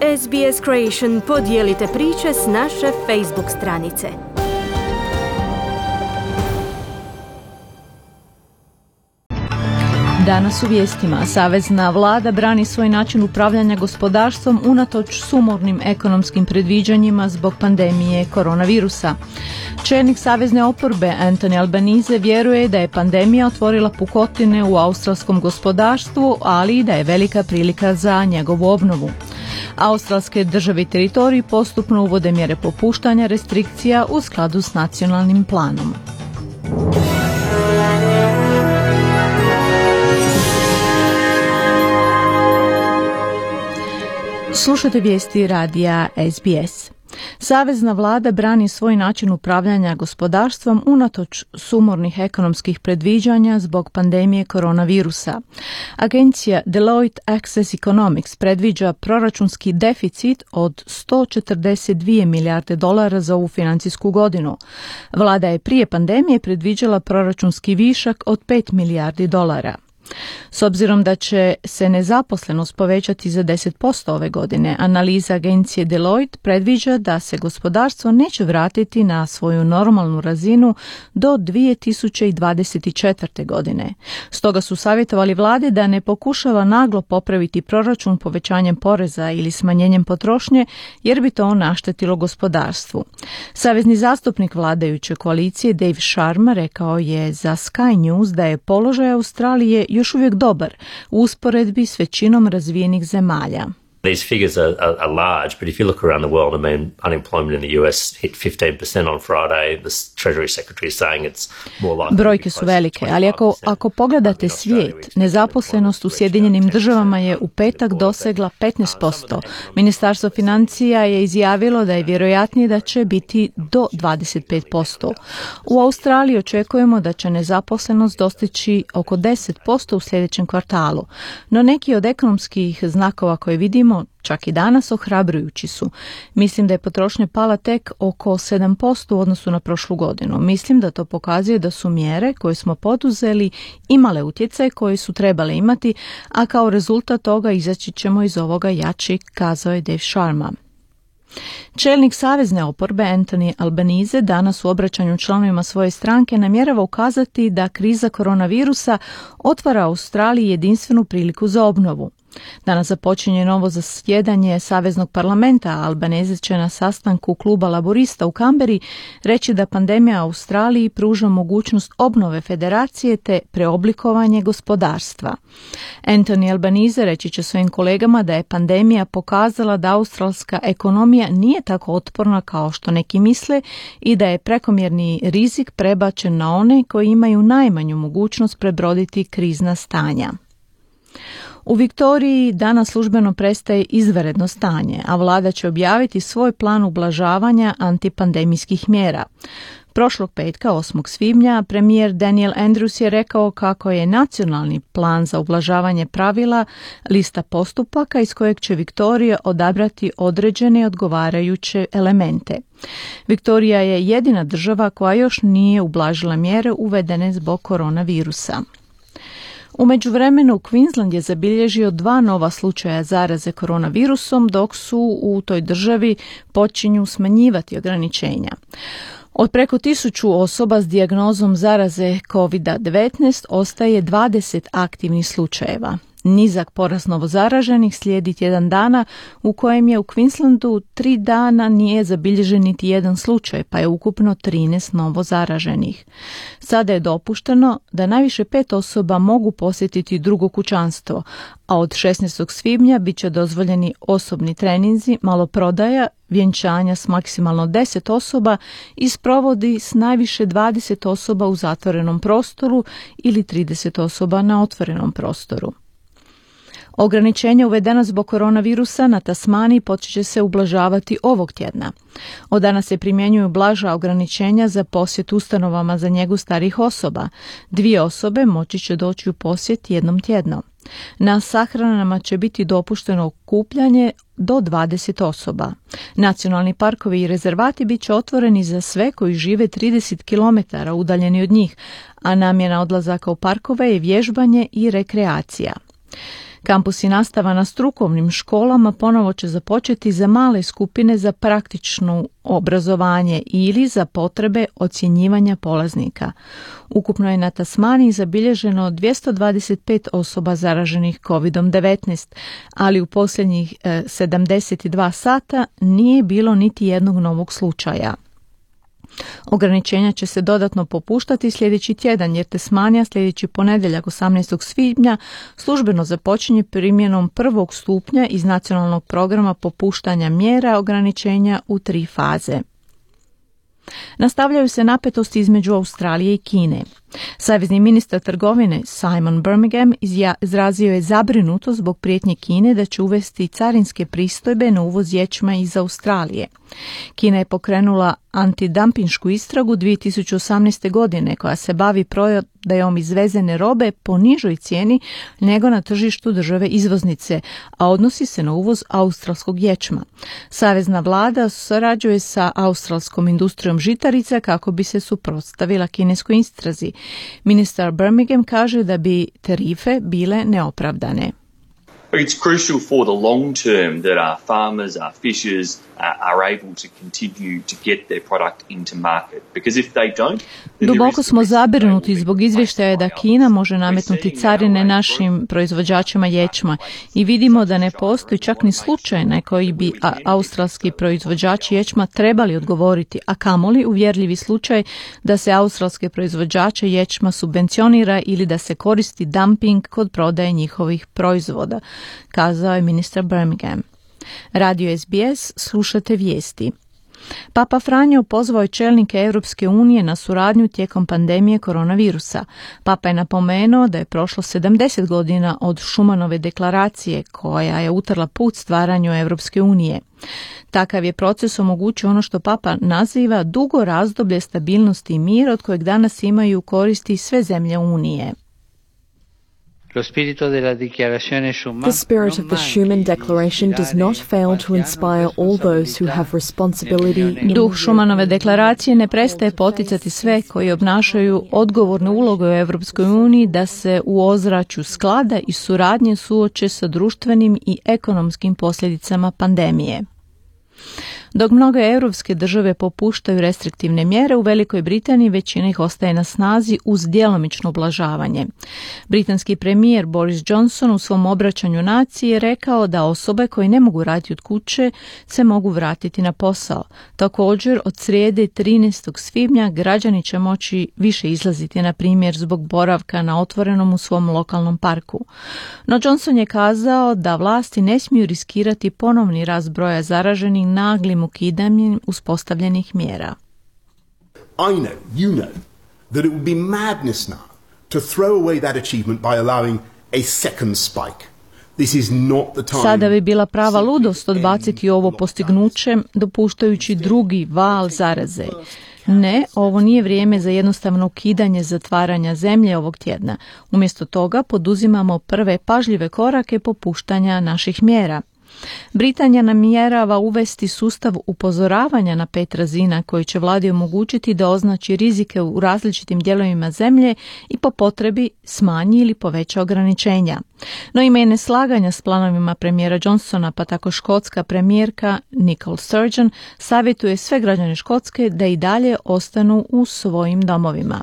SBS Creation podijelite priče s naše Facebook stranice. Danas u vijestima. Savezna vlada brani svoj način upravljanja gospodarstvom unatoč sumornim ekonomskim predviđanjima zbog pandemije koronavirusa. Čelnik savezne oporbe Anthony Albanese vjeruje da je pandemija otvorila pukotine u australskom gospodarstvu, ali i da je velika prilika za njegovu obnovu. Australske države i teritoriji postupno uvode mjere popuštanja restrikcija u skladu s nacionalnim planom. Slušate vijesti radija SBS. Savezna vlada brani svoj način upravljanja gospodarstvom unatoč sumornih ekonomskih predviđanja zbog pandemije koronavirusa. Agencija Deloitte Access Economics predviđa proračunski deficit od $142 milijarde za ovu financijsku godinu. Vlada je prije pandemije predviđala proračunski višak od $5 milijardi. S obzirom da će se nezaposlenost povećati za 10% ove godine, analiza agencije Deloitte predviđa da se gospodarstvo neće vratiti na svoju normalnu razinu do 2024. godine. Stoga su savjetovali vladi da ne pokušava naglo popraviti proračun povećanjem poreza ili smanjenjem potrošnje, jer bi to naštetilo gospodarstvu. Savezni zastupnik vladajuće koalicije Dave Sharma rekao je za Sky News da je položaj Australije još uvijek dobar u usporedbi s većinom razvijenih zemalja. These figures are large, but if you look around the world, I mean, unemployment in the US hit 15% on Friday. The Treasury Secretary is saying it's more likely. Brojke su velike, ali ako pogledate svijet, nezaposlenost u Sjedinjenim državama je u petak dosegla 15%. Ministarstvo financija je izjavilo da je vjerojatnije da će biti do 25%. U Australiji očekujemo da će nezaposlenost dostići oko 10% u sljedećem kvartalu, no neki od ekonomskih znakova koje vidimo čak i danas ohrabrujući su. Mislim da je potrošnja pala tek oko 7% u odnosu na prošlu godinu. Mislim da to pokazuje da su mjere koje smo poduzeli imale utjecaj koji su trebale imati, a kao rezultat toga izaći ćemo iz ovoga jači, kazao je Dave Sharma. Čelnik savezne oporbe Anthony Albanese danas u obraćanju članovima svoje stranke namjerava ukazati da kriza koronavirusa otvara Australiji jedinstvenu priliku za obnovu. Danas započinje novo zasjedanje Saveznog parlamenta, a Albanese će na sastanku kluba laborista u Kamberi reći da pandemija Australiji pruža mogućnost obnove federacije te preoblikovanje gospodarstva. Anthony Albanese reći će svojim kolegama da je pandemija pokazala da australska ekonomija nije tako otporna kao što neki misle i da je prekomjerni rizik prebačen na one koji imaju najmanju mogućnost prebroditi krizna stanja. U Viktoriji danas službeno prestaje izvanredno stanje, a vlada će objaviti svoj plan ublažavanja antipandemijskih mjera. Prošlog petka, 8. svibnja, premijer Daniel Andrews je rekao kako je nacionalni plan za ublažavanje pravila lista postupaka iz kojeg će Viktorija odabrati određene odgovarajuće elemente. Viktorija je jedina država koja još nije ublažila mjere uvedene zbog koronavirusa. U međuvremenu Queensland je zabilježio 2 nova slučaja zaraze koronavirusom, dok su u toj državi počinju smanjivati ograničenja. Od preko 1000 osoba s dijagnozom zaraze COVID-19 ostaje 20 aktivnih slučajeva. Nizak porast novozaraženih slijedi tjedan dana u kojem je u Queenslandu 3 dana nije zabilježen niti jedan slučaj, pa je ukupno 13 novozaraženih. Sada je dopušteno da najviše 5 osoba mogu posjetiti drugo kućanstvo, a od 16. svibnja bit će dozvoljeni osobni treninzi, maloprodaja, vjenčanja s maksimalno 10 osoba i sprovodi s najviše 20 osoba u zatvorenom prostoru ili 30 osoba na otvorenom prostoru. Ograničenja uvedena zbog koronavirusa na Tasmaniji počet će se ublažavati ovog tjedna. Od danas se primjenjuju blaža ograničenja za posjet ustanovama za njegu starih osoba. 2 osobe moći će doći u posjet jednom tjedno. Na sahranama će biti dopušteno okupljanje do 20 osoba. Nacionalni parkovi i rezervati bit će otvoreni za sve koji žive 30 km udaljeni od njih, a namjena odlazaka u parkove je vježbanje i rekreacija. Kampus i nastava na strukovnim školama ponovo će započeti za male skupine za praktično obrazovanje ili za potrebe ocjenjivanja polaznika. Ukupno je na Tasmaniji zabilježeno 225 osoba zaraženih COVID-19, ali u posljednjih 72 sata nije bilo niti jednog novog slučaja. Ograničenja će se dodatno popuštati sljedeći tjedan, jer Tasmanija sljedeći ponedjeljak 18. svibnja službeno započinje primjenom prvog stupnja iz nacionalnog programa popuštanja mjera ograničenja u 3 faze. Nastavljaju se napetosti između Australije i Kine. Savezni ministar trgovine Simon Birmingham izrazio je zabrinutost zbog prijetnje Kine da će uvesti carinske pristojbe na uvoz ječma iz Australije. Kina je pokrenula antidampinšku istragu 2018. godine koja se bavi prodajom izvezene robe po nižoj cijeni nego na tržištu države izvoznice, a odnosi se na uvoz australskog ječma. Savezna vlada surađuje sa australskom industrijom žitarica kako bi se suprotstavila kineskoj istrazi. Ministar Birmingham kaže da bi tarife bile neopravdane. It's crucial for the long term that our farmers, our fishers are able to continue to get their product into market. Because if they don't, duboko smo zabrinuti zbog izvještaja da Kina može nametnuti carine našim proizvođačima ječma i vidimo da ne postoji čak ni slučaj na koji bi australski proizvođači ječma trebali odgovoriti, a kamoli uvjerljivi slučaj da se australske proizvođače ječma subvencionira ili da se koristi dumping kod prodaje njihovih proizvoda, kazao je ministar Birmingham. Radio SBS, slušate vijesti. Papa Franjo pozvao je čelnike Europske unije na suradnju tijekom pandemije koronavirusa. Papa je napomenuo da je prošlo 70 godina od Schumanove deklaracije koja je utrla put stvaranju Europske unije. Takav je proces omogućio ono što Papa naziva dugo razdoblje stabilnosti i mira od kojeg danas imaju koristi sve zemlje Unije. The spirit of the Schuman Declaration does not fail to inspire all those who have responsibility. Duh Schumanove deklaracije ne prestaje poticati sve koji obnašaju odgovornu ulogu u Europskoj uniji da se u ozračju sklada i suradnje suoče sa društvenim i ekonomskim posljedicama pandemije. Dok mnoge europske države popuštaju restriktivne mjere, u Velikoj Britaniji većina ih ostaje na snazi uz djelomično ublažavanje. Britanski premijer Boris Johnson u svom obraćanju naciji je rekao da osobe koje ne mogu raditi od kuće se mogu vratiti na posao. Također, od srijede 13. svibnja građani će moći više izlaziti, na primjer zbog boravka na otvorenom u svom lokalnom parku. No Johnson je kazao da vlasti ne smiju riskirati ponovni rast broja zaraženih naglim ukidanjem uspostavljenih mjera. I know, you know, that it would be madness now to throw away that achievement by allowing a second spike. This is not the time. Sada bi bila prava ludost odbaciti ovo postignuće, dopuštajući drugi val zaraze. Ne, ovo nije vrijeme za jednostavno ukidanje zatvaranja zemlje ovog tjedna. Umjesto toga poduzimamo prve pažljive korake popuštanja naših mjera. Britanija namjerava uvesti sustav upozoravanja na 5 razina koji će vladi omogućiti da označi rizike u različitim dijelovima zemlje i po potrebi smanji ili poveća ograničenja. No ima i neslaganja s planovima premijera Johnsona, pa tako škotska premijerka Nicola Sturgeon savjetuje sve građane Škotske da i dalje ostanu u svojim domovima.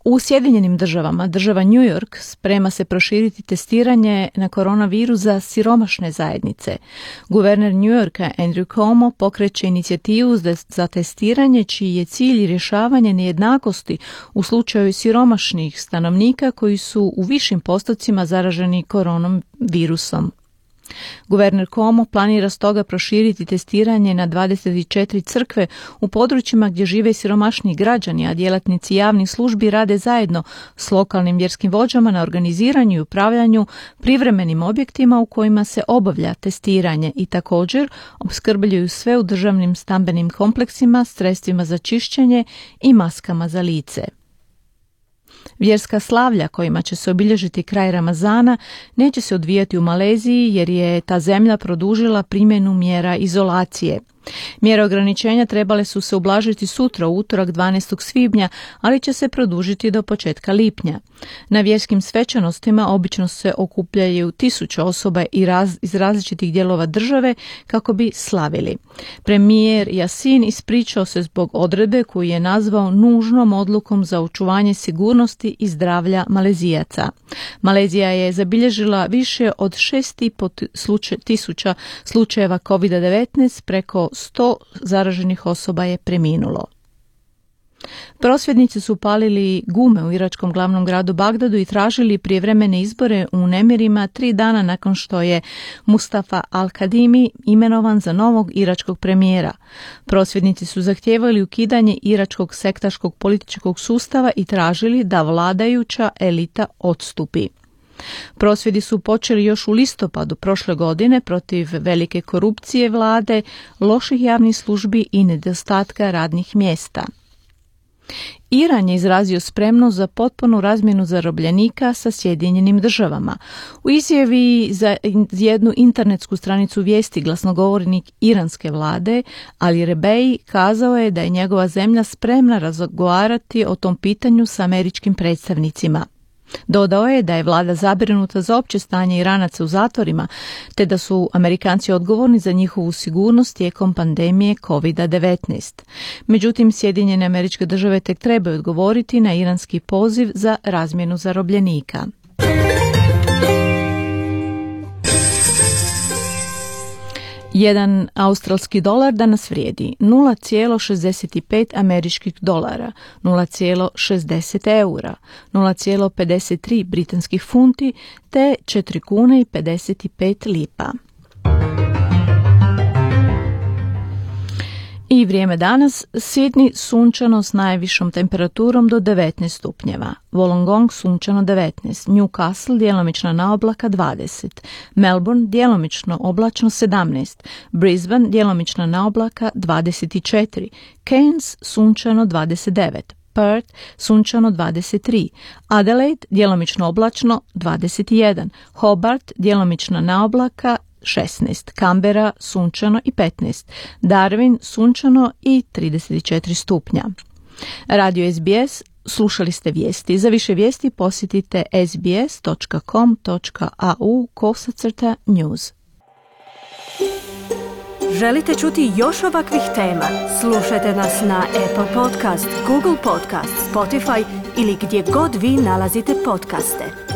U Sjedinjenim državama, država New York sprema se proširiti testiranje na koronavirus za siromašne zajednice. Guverner New Yorka Andrew Cuomo pokreće inicijativu za testiranje čiji je cilj rješavanje nejednakosti u slučaju siromašnih stanovnika koji su u višim postocima zaraženi koronavirusom. Guverner Cuomo planira stoga proširiti testiranje na 24 crkve u područjima gdje žive siromašniji građani, a djelatnici javnih službi rade zajedno s lokalnim vjerskim vođama na organiziranju i upravljanju privremenim objektima u kojima se obavlja testiranje i također opskrbljuju sve u državnim stambenim kompleksima, sredstvima za čišćenje i maskama za lice. Vjerska slavlja kojima će se obilježiti kraj Ramazana neće se odvijati u Maleziji jer je ta zemlja produžila primjenu mjera izolacije. Mjere ograničenja trebale su se ublažiti sutra, u utorak 12. svibnja, ali će se produžiti do početka lipnja. Na vjerskim svečanostima obično se okupljaju 1000 osoba iz različitih dijelova države kako bi slavili. Premijer Yasin ispričao se zbog odredbe koju je nazvao nužnom odlukom za očuvanje sigurnosti i zdravlja Malezijaca. Malezija je zabilježila više od 6.500 slučajeva COVID-19, preko 100 zaraženih osoba je preminulo. Prosvjednici su palili gume u iračkom glavnom gradu Bagdadu i tražili prijevremene izbore u nemirima 3 dana nakon što je Mustafa al-Kadimi imenovan za novog iračkog premijera. Prosvjednici su zahtijevali ukidanje iračkog sektaškog političkog sustava i tražili da vladajuća elita odstupi. Prosvjedi su počeli još u listopadu prošle godine protiv velike korupcije vlade, loših javnih službi i nedostatka radnih mjesta. Iran je izrazio spremnost za potpunu razmjenu zarobljenika sa Sjedinjenim državama. U izjavi za jednu internetsku stranicu vijesti glasnogovornik iranske vlade Ali Rebei kazao je da je njegova zemlja spremna razgovarati o tom pitanju sa američkim predstavnicima. Dodao je da je vlada zabrinuta za opće stanje Iranaca u zatvorima, te da su Amerikanci odgovorni za njihovu sigurnost tijekom pandemije COVID-19. Međutim, Sjedinjene Američke Države tek trebaju odgovoriti na iranski poziv za razmjenu zarobljenika. Jedan australski dolar danas vrijedi 0,65 američkih dolara, 0,60 eura, 0,53 britanskih funti te 4 kune i 55 lipa. I vrijeme danas: Sydney sunčano s najvišom temperaturom do 19 stupnjeva, Wollongong sunčano 19, Newcastle djelomično na oblaka 20, Melbourne djelomično oblačno 17, Brisbane djelomično na oblaka 24, Cairns sunčano 29, Perth sunčano 23, Adelaide djelomično oblačno 21, Hobart djelomično na oblaka 16, Canberra sunčano i 15, Darwin sunčano i 34 stupnja. Radio SBS, slušali ste vijesti. Za više vijesti posjetite sbs.com.au/news. Želite čuti još ovakvih tema? Slušajte nas na Apple Podcast, Google Podcast, Spotify ili gdje god vi nalazite podcaste.